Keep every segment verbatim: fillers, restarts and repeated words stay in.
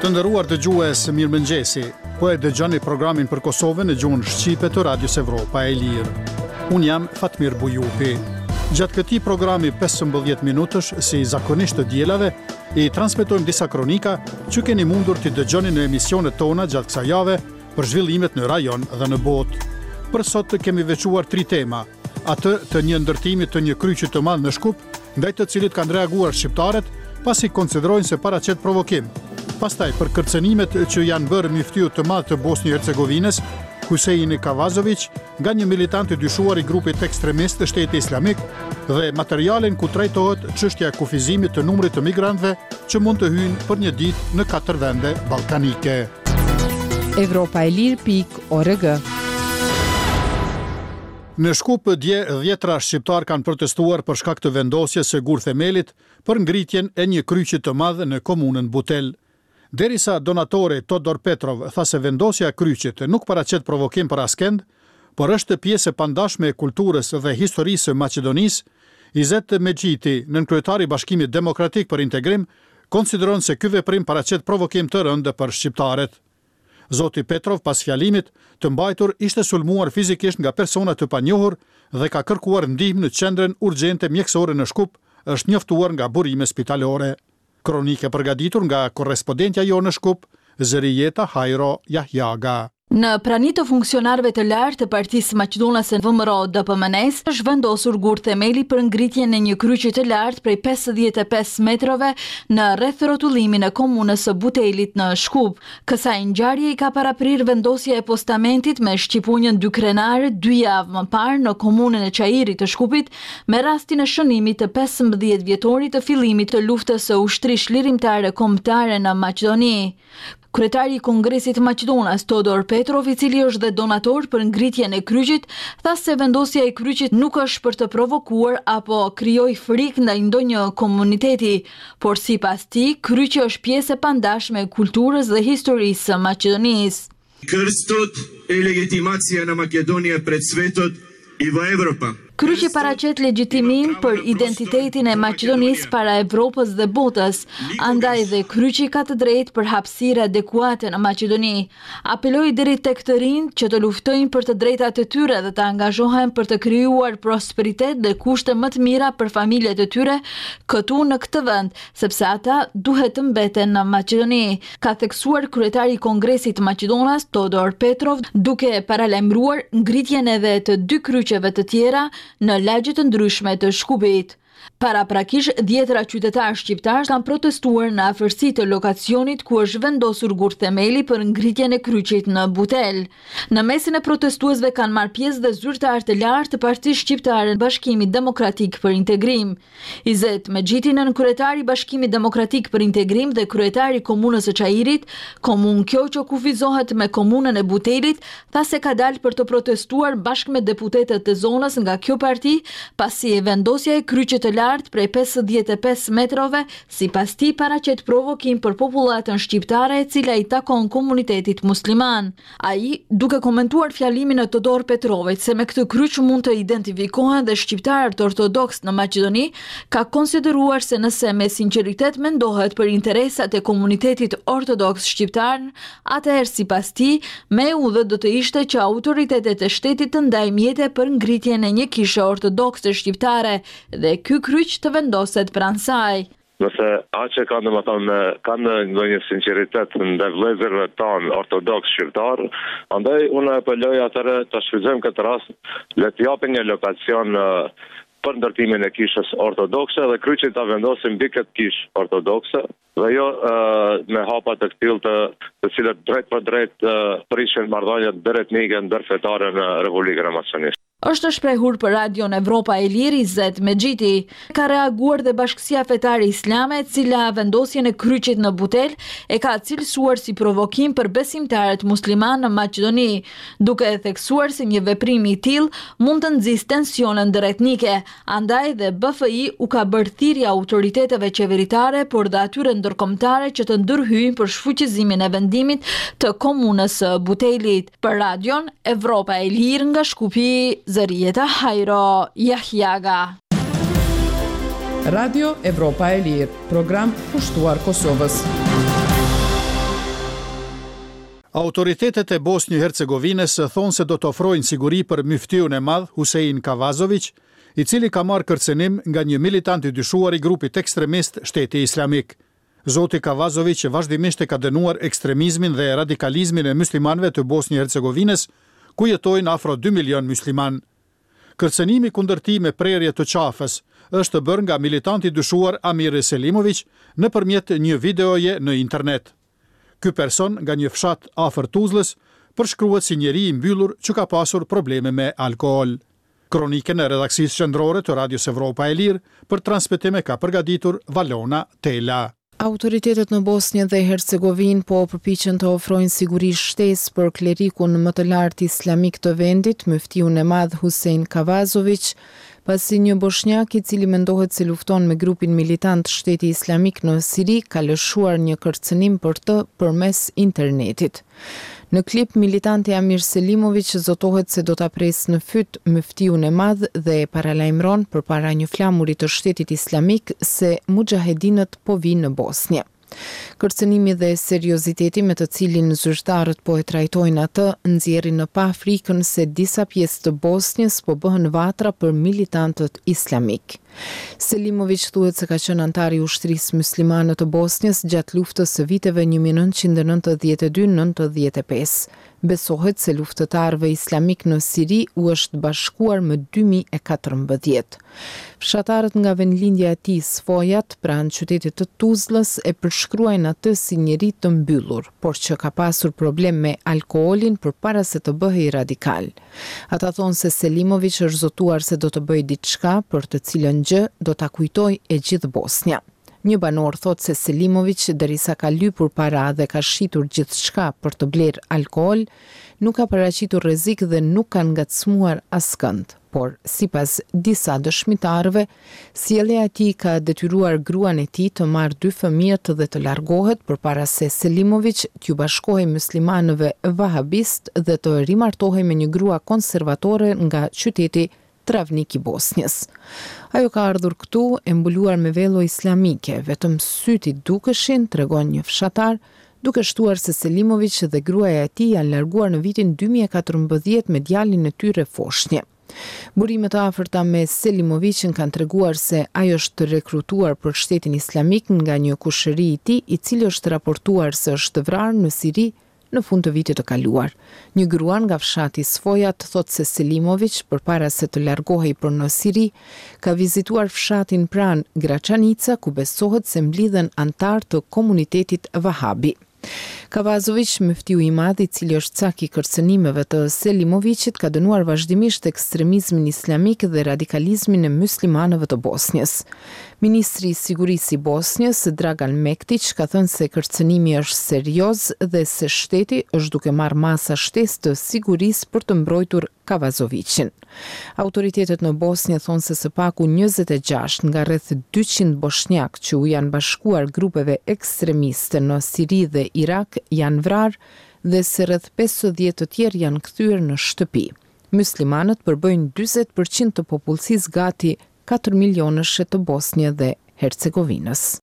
Të nderuar dëgjues, mirëmëngjesi. Po e dëgjoni programin për Kosovën në gjuhën shqipe të Radios Evropa e Lirë. Unë jam Fatmir Bujupi. Gjatë këtij programi pesëmbëdhjetë minutësh, si zakonisht të dielave, i transmetojmë disa kronika që keni mundur t'i dëgjoni në emisionet tona gjatë kësaj jave për zhvillimet në rajon dhe në botë. Për sot kemi veçuar tri tema: atë të një ndërtimi të një kryqi të madh në Shkup, ndaj të cilit kanë reaguar shqiptarët, pasi konsiderojnë se paraqet provokim. Pastaj për kërcënimet që janë bërë myftiut të madh të Bosnjë-Hercegovinës, Husein Kavazović, nga një militant i dyshuar i grupit ekstremist Shteti Islamik, dhe materialin ku trajtohet çështja e kufizimit të numrit të migrantëve që mund të hyjnë për një ditë në katër vende ballkanike. Evropa e Lirë pikë org. Në Shkup dje dhjetra shqiptar kanë protestuar për shkak të vendosjes së gurthemelit për ngritjen e një kryqi të madh në komunën Butel. Derisa donatori Todor Petrov tha se vendosja e kryqit nuk paraqet provokim për askend, por është pjesë e pandashme e kulturës dhe historisë së Maqedonisë, Izet Mexhiti, nënkryetari i Bashkimit Demokratik për Integrim, konsideron se ky veprim paraqet provokim të rëndë për shqiptarët. Zoti Petrov pas fjalimit të mbajtur ishte sulmuar fizikisht nga persona të panjohur dhe ka kërkuar ndihmë në qendrën urgjente mjekësore në Shkup, është njoftuar nga burime spitalore. Kronike përgatitur nga korrespondentja jonë në Shkup, Zërijeta Hajro Jahjaga. Në prani të funksionarëve të lartë të Partisë Maqedonase V M R O D P M N-s është vendosur gur themeli për ngritjen e një kryqi të lartë prej pesëdhjetë e pesë metrove në rreth rrotullimin e komunës së Butelit në Shkup. Kësaj ngjarje i ka paraprirë vendosja e postamentit me shqipunjën dy krenare dy javë më parë në komunën e Çairit të Shkupit me rastin e shënimit të pesëmbëdhjetë vjetorit të fillimit të luftës së ushtrisë çlirimtare kombëtare në Maqedoni. Kryetari i Kongresit Maqedonas, Todor Petrov, i cili është dhe donator për ngritjen e kryqit, tha se vendosja e kryqit nuk është për të provokuar apo krijoi frikë ndaj ndonjë komuniteti, por sipas tij, kryqi është pjesë e pandashme e kulturës dhe historisë së Maqedonisë. Krstot e legitimacija na Makedonija pred svetot i v Evropa. Kryqi paraqet legjitimim për identitetin e Maqedonisë para Evropës dhe botës, andaj dhe kryqi ka të drejtë për hapësirë adekuate në Maqedoni. Apeloi deri tek të rinjt që të luftojnë për të drejtat e tyre dhe të angazhohen për të krijuar prosperitet dhe kushte më të mira për familjet e tyre këtu në këtë vend, sepse ata duhet të mbeten në Maqedoni, ka theksuar kryetari i Kongresit Maqedonas Todor Petrov, duke paralajmëruar ngritjen edhe të dy kryqeve të tjera në lagje të ndryshme të Shkupit. Paraprakisht, dhjetëra qytetarë shqiptarë kanë protestuar në afërsi të lokacionit ku është vendosur gurthemeli për ngritjen e kryqit në Butel. Në mesin e protestuesve kanë marrë pjesë dhe zyrtarë të lartë të Partisë Shqiptare Bashkimit Demokratik për Integrim. Izet Mexhiti, nënkryetari i Bashkimit Demokratik për Integrim dhe kryetari i Komunës së Çairit, komunë kjo që kufizohet me komunën e Butelit, tha se ka dalë për të protestuar bashkë me deputetët e zonës nga kjo parti, pasi vendosja e kryqit të lartë prej pesëdhjetë e pesë metrove, sipas tij paraqet provokim për popullatën shqiptare e cila i takon komunitetit musliman. Ai, duke komentuar fjalimin e Todor Petrovit se me këtë kryq mund të identifikohen dhe shqiptarët ortodoks në Maqedoni, ka konsideruar se nëse me sinqeritet mendohet për interesat e komunitetit ortodoks shqiptar, atëherë sipas tij, me e udhët do të ishte që autoritetet e shtetit të ndajnë mjete për ngritjen e një kishe ortodokse shqiptare dhe ky kryq të vendoset pranë saj. Nëse aq e kanë, domethënë, kanë ndonjë sinqeritet ndaj vëllezërve tanë ortodoks shqiptar, andaj unë apeloj atëherë ta shfrytëzojmë këtë rast, le të japin një lokacion, eh, për ndërtimin e kishës ortodokse dhe kryqin ta vendosim mbi këtë kishë ortodokse dhe jo, eh, me hapa të këtillë të, të cilët drejt për drejt, eh, prishin marrëdhëniet ndëretnike, ndërfetare në Republikën e Maqedonisë. Është shprehur për Radion Evropa e Lirë Izet Mexhiti. Ka reaguar dhe Bashkësia Fetare Islame, e cila vendosjen e kryqit në Butel e ka cilësuar si provokim për besimtarët muslimanë në Maqedoni, duke e theksuar se një veprim i tillë mund të nxisë tensione ndëretnike. Andaj dhe B F I u ka bërë thirrje autoriteteve qeveritare, por dhe atyre ndërkombëtare që të ndërhyjnë për shfuqizimin e vendimit të komunës së Butelit. Për Radion Evropa e Lirë nga Shkupi, Zërijeta Hajro Jahjaga. Radio Evropa e Lirë, program kushtuar Kosovës. Autoritetet e Bosnjë-Hercegovinës thonë se do të ofrojnë siguri për myftiun e madh Husein Kavazović, i cili ka marrë kërcënim nga një militant i dyshuar i grupit ekstremist Shteti Islamik. Zoti Kavazović vazhdimisht e ka dënuar ekstremizmin dhe radikalizmin e muslimanëve të Bosnjë-Hercegovinës, ku jetojnë afro dy milion muslimanë. Kërcënimi kundër tij me prerje të qafës është bërë nga militanti i dyshuar Amir Selimović nëpërmjet një videoje në internet. Ky person nga një fshat afër Tuzlës përshkruhet si njeri i mbyllur që ka pasur probleme me alkool. Kronikën e redaksisë qendrore të Radios Evropa e Lirë për transmetim e ka përgatitur Valona Tela. Autoritetet në Bosnjë dhe Hercegovinë po përpiqen të ofrojnë siguri shtesë për klerikun më të lartë islamik të vendit, myftiun e madh Husein Kavazović, pasi një boshnjak i cili mendohet se lufton me grupin militant Shteti Islamik në Siri ka lëshuar një kërcënim për të përmes internetit. Në klip, militanti Amir Selimović zotohet se do ta presë në fyt myftiun e madh dhe e paralajmëron përpara një flamuri të Shtetit Islamik se muxhahedinët po vinë në Bosnjë. Kërcënimi dhe serioziteti me të cilin zyrtarët po e trajtojnë atë nxjerrin në pah frikën se disa pjesë të Bosnjës po bëhen vatra për militantët islamik. Selimović thuhet se ka qenë antar i ushtrisë muslimane të Bosnjës gjatë luftës së viteve një mijë e nëntëqind e nëntëdhjetë e dy nëntëdhjetë e pesë. Besohet se luftëtarëve islamik në Siri u është bashkuar më dy mijë e katërmbëdhjetë. Fshatarët nga vendlindja e tij Svojat, pranë qytetit të Tuzlës, e përshkruajnë atë si njeri të mbyllur, por që ka pasur problem me alkoolin përpara se të bëhej radikal. Ata thonë se Selimović është zotuar se do të bëjë diçka për të cilën gjë do ta kujtojë e gjithë Bosnja. Një banor thotë se Selimović, derisa ka lypur para dhe ka shitur gjithçka për të blerë alkool, nuk ka paraqitur rrezik dhe nuk ka ngacmuar askënd. Por, sipas disa dëshmitarëve, sjellja e tij ka detyruar gruan e tij të marrë dy fëmijët dhe të largohet përpara se Selimović t'ju bashkohej muslimanëve vahabist dhe të rimartohej me një grua konservatore nga qyteti Travnik i Bosnjës. Ajo ka ardhur këtu e mbuluar me vello islamike, vetëm sytë i dukeshin, tregon një fshatar, duke shtuar se Selimović dhe gruaja e tij janë larguar në vitin dy mijë e katërmbëdhjetë me djalin e tyre foshnjë. Burime të afërta me Selimovićin kanë treguar se ai është rekrutuar për shtetin islamik nga një kushëri i tij, i cili është raportuar se është vrarë në Siri në fund të vitit të kaluar. Një grua nga fshati Svojat thotë se Selimović, përpara se të largohej për në Siri, ka vizituar fshatin pranë Graçanica, ku besohet se mblidhen antar të komunitetit Vahabi. Kavazović, myftiu i madh, i cili është cak i kërcënimeve të Selimovićit, ka dënuar vazhdimisht ekstremizmin islamik dhe radikalizmin e muslimanëve të Bosnjës. Ministri i Sigurisë i Bosnjës, Dragan Mektić, ka thënë se kërcënimi është serioz dhe se shteti është duke marrë masa shtesë të sigurisë për të mbrojtur Kavazovićin. Autoritetet në Bosnjë thonë se së paku njëzet e gjashtë nga rreth dyqind boshnjak që u janë bashkuar grupeve ekstremiste në Siri dhe Irak janë vrarë dhe se rreth pesëdhjetë të tjerë janë kthyer në shtëpi. Muslimanët përbëjnë dyzet përqind të popullsisë gati katër milionëshe të Bosnjë dhe Hercegovinës.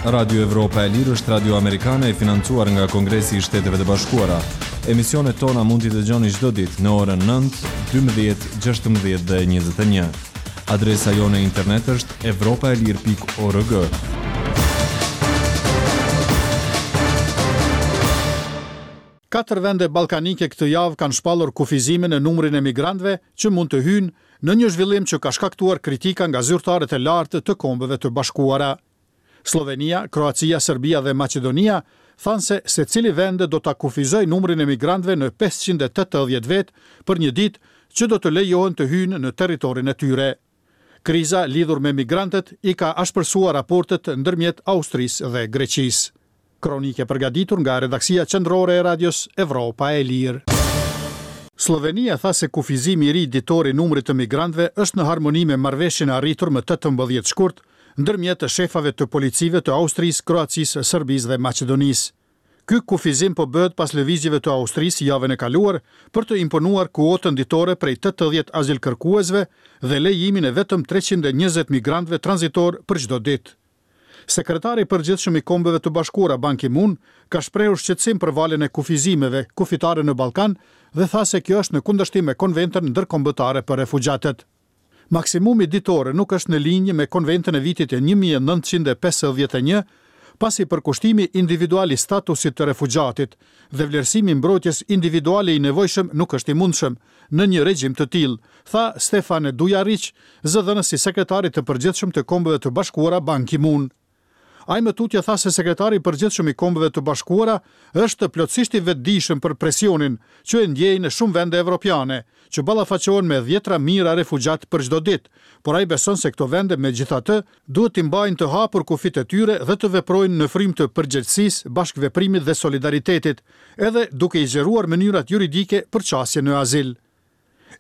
Radio Evropa e Lirë është radio amerikane e financuar nga Kongresi i Shteteve të Bashkuara. Emisionet tona mund t'i dëgjoni çdo ditë në orën nëntë, dymbëdhjetë, gjashtëmbëdhjetë dhe njëzet e një. Adresa jonë e internet është evropa e lirë pikë org. Katër vende ballkanike këtë javë kanë shpallur kufizimin në numrin e migrantëve që mund të hyjnë në një zhvillim që ka shkaktuar kritika nga zyrtarët e lartë të Kombeve të Bashkuara. Slovenia, Kroacia, Serbia dhe Maqedonia thanë se secili vend do ta kufizojë numrin e migrantëve në pesëqind e tetëdhjetë vetë për një ditë që do të lejohen të hyjnë në territorin e tyre. Kriza lidhur me migrantët i ka ashpërsuar raportet ndërmjet Austrisë dhe Greqisë. Kronike përgatitur nga redaksia qendrore e Radios Evropa e Lirë. Slovenia tha se kufizimi i ri ditor i numrit të migrantëve është në harmoni me marrëveshjen e arritur më tetëmbëdhjetë shkurt ndërmjet shefave të policive të Austrisë, Kroacisë, Serbisë dhe Maqedonisë. Ky kufizim po bëhet pas lëvizjeve të Austrisë javën e kaluar për të imponuar kuotën ditore prej tetëdhjetë azilkërkuesve dhe lejimin e vetëm treqind e njëzet migrantëve tranzitorë për çdo ditë. Sekretari i Përgjithshëm i Kombeve të Bashkuara Ban Ki-moon ka shprehur shqetësim për valën e kufizimeve kufitare në Ballkan dhe tha se kjo është në kundërshtim me Konventën Ndërkombëtare për Refugjatët. Maksimumi ditor nuk është në linjë me Konventën e vitit një mijë e nëntëqind e pesëdhjetë e një, pasi përkushtimi individual i statusit të refugjatit dhe vlerësimi i mbrojtjes individuale i nevojshëm nuk është i mundshëm në një regjim të tillë, tha Stefan Dujarriq, zëdhënës i Sekretarit të Përgjithshëm të Kombeve të Bashkuara Ban Ki-moon. Ai më tutje tha se Sekretari i Përgjithshëm i Kombeve të Bashkuara është plotësisht i vetëdijshëm për presionin që e ndjejnë shumë vende evropiane, që ballafaqohen me dhjetëra mijëra refugjatë për çdo ditë, por ai beson se këto vende megjithatë duhet t'i mbajnë të hapur kufijtë e tyre dhe të veprojnë në frymë të përgjegjësisë, bashkëveprimit dhe solidaritetit, edhe duke i zgjeruar mënyrat juridike për qasje në azil.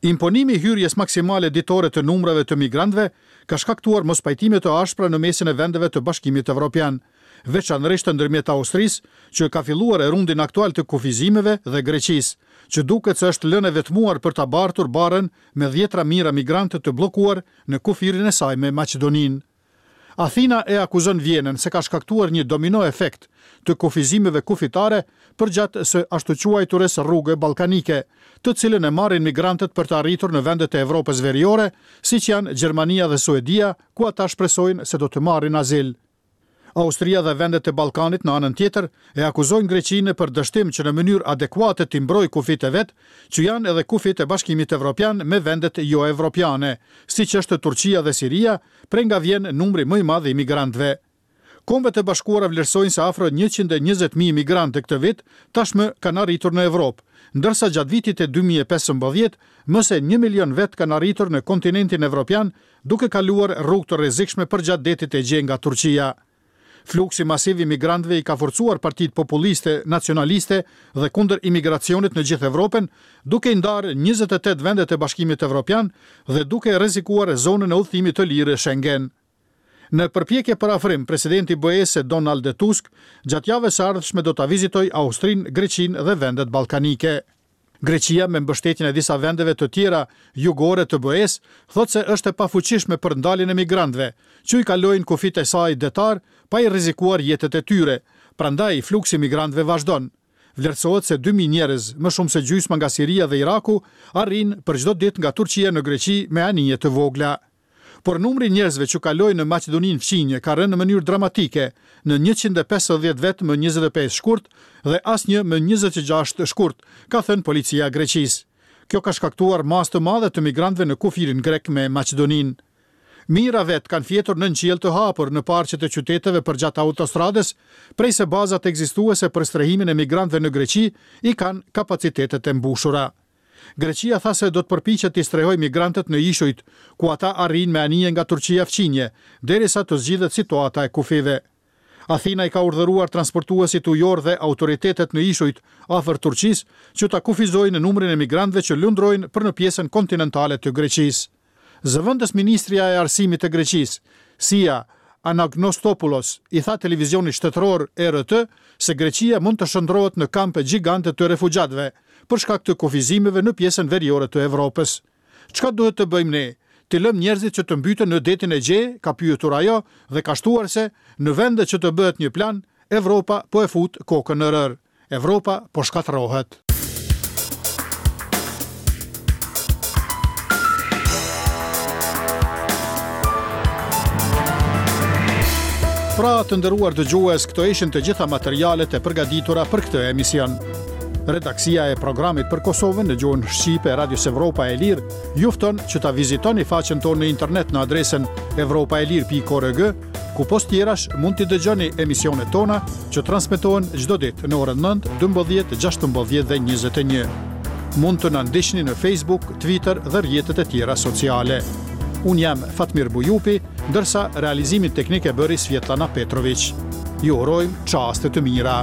Imponimi i hyrjes maksimale ditore të numrave të migrantëve ka shkaktuar mospajtime të ashpra në mesin e vendeve të Bashkimit Evropian, veçanërisht ndërmjet Austrisë, që ka filluar rundin aktual të kufizimeve, dhe Greqisë, që duket se është lënë e vetmuar për ta bartur barrën me dhjetëra mijëra migrantë të bllokuar në kufirin e saj me Maqedoninë. Athina e akuzon Vjenën se ka shkaktuar një domino efekt të kufizimeve kufitare përgjatë së ashtuquajturës rrugë ballkanike, të cilën e marrin migrantët për të arritur në vendet e Evropës Veriore, siç janë Gjermania dhe Suedia, ku ata shpresojnë se do të marrin azil. Austria dhe vendet e Ballkanit në anën tjetër e akuzojnë Greqinë për dështim që në mënyrë adekuate t'i mbrojë kufijtë e vet, që janë edhe kufijtë e Bashkimit Evropian me vendet jo-evropiane, siç është Turqia dhe Siria, prej nga vjen numri më i madh i migrantëve. Kombet e Bashkuara vlerësojnë se afro njëqind e njëzet mijë migrantë këtë vit tashmë kanë arritur në Evropë, ndërsa gjatë vitit të dy mijë e pesëmbëdhjetë më se një milion vet kanë arritur në kontinentin evropian, duke kaluar rrugë të rrezikshme përgjatë detit Egje nga Turqia. Fluksi masiv i migrantëve i ka forcuar partitë populiste, nacionaliste dhe kundër imigracionit në gjithë Evropën, duke i ndarë njëzet e tetë vendet e Bashkimit Evropian dhe duke rrezikuar zonën e udhëtimit të lirë Schengen. Në përpjekje për afrim, presidenti i B E-së Donald Tusk gjatë javës së ardhshme do ta vizitojë Austrinë, Greqinë dhe vendet ballkanike. Greqia, me mbështetjen e disa vendeve të tjera jugore të B E-s, thotë se është e pafuqishme për ndaljen e migrantëve, që i kalojnë kufijtë e saj detar pa i rrezikuar jetët e tyre. Prandaj fluksi i migrantëve vazhdon. Vlerësohet se dy mijë njerëz, më shumë se gjysma nga Siria dhe Iraku, arrin për çdo ditë nga Turqia në Greqi me anije të vogla. Por numri i njerëzve që kalojnë në Maqedoninë fqinje ka rënë në mënyrë dramatike, në njëqind e pesëdhjetë vetë më njëzet e pesë shkurt dhe asnjë më njëzet e gjashtë shkurt, ka thënë policia e Greqisë. Kjo ka shkaktuar masë të madhe të migrantëve në kufirin grek me Maqedoninë. Mijëra vet kanë fjetur nën qiell të hapur në parqet e qyteteve përgjatë autostradës, prej se bazat ekzistuese për strehimin e migrantëve në Greqi i kanë kapacitetet e mbushura. Greqia tha se do të përpiqet t'i strehojë migrantët në ishujt, ku ata arrijnë me anije nga Turqia fqinje, derisa të zgjidhet situata e kufijve. Athina i ka urdhëruar transportuesit ujor dhe autoritetet në ishujt afër Turqisë që ta kufizojnë numrin e migrantëve që lundrojnë për në pjesën kontinentale të Greqisë. Zëvendës ministria e Arsimit të Greqisë, Sia Anagnostopoulos, i tha televizionit shtetëror E R T se Greqia mund të shndrohet në kampe gjigante të refugjatëve për shkak të kufizimeve në pjesën veriore të Evropës. Çka duhet të bëjmë ne? T'i lëmë njerëzit që të mbyten në detin Egje, ka pyetur ajo dhe ka shtuar se në vende që të bëhet një plan, Evropa po e fut kokën në rër. Evropa po shkatërrohet. Pra, të nderuar dëgjues, këto ishin të gjitha materialet e përgatitura për këtë emision. Redaksia e programit për Kosovën në gjuhën shqipe e Radios Evropa e Lirë ju fton që ta vizitoni faqen tonë në internet në adresën evropa e lirë pikë org, ku pos tjerash mund t'i dëgjoni emisionet tona që transmetohen çdo ditë në orën nëntë, dymbëdhjetë, gjashtëmbëdhjetë dhe njëzet e një. Mund të na ndiqni në Facebook, Twitter dhe rrjetet e tjera sociale. Unë jam Fatmir Bujupi, ndërsa realizimin teknik e bëri Svjetlana Petrović. Ju urojmë çaste të mira.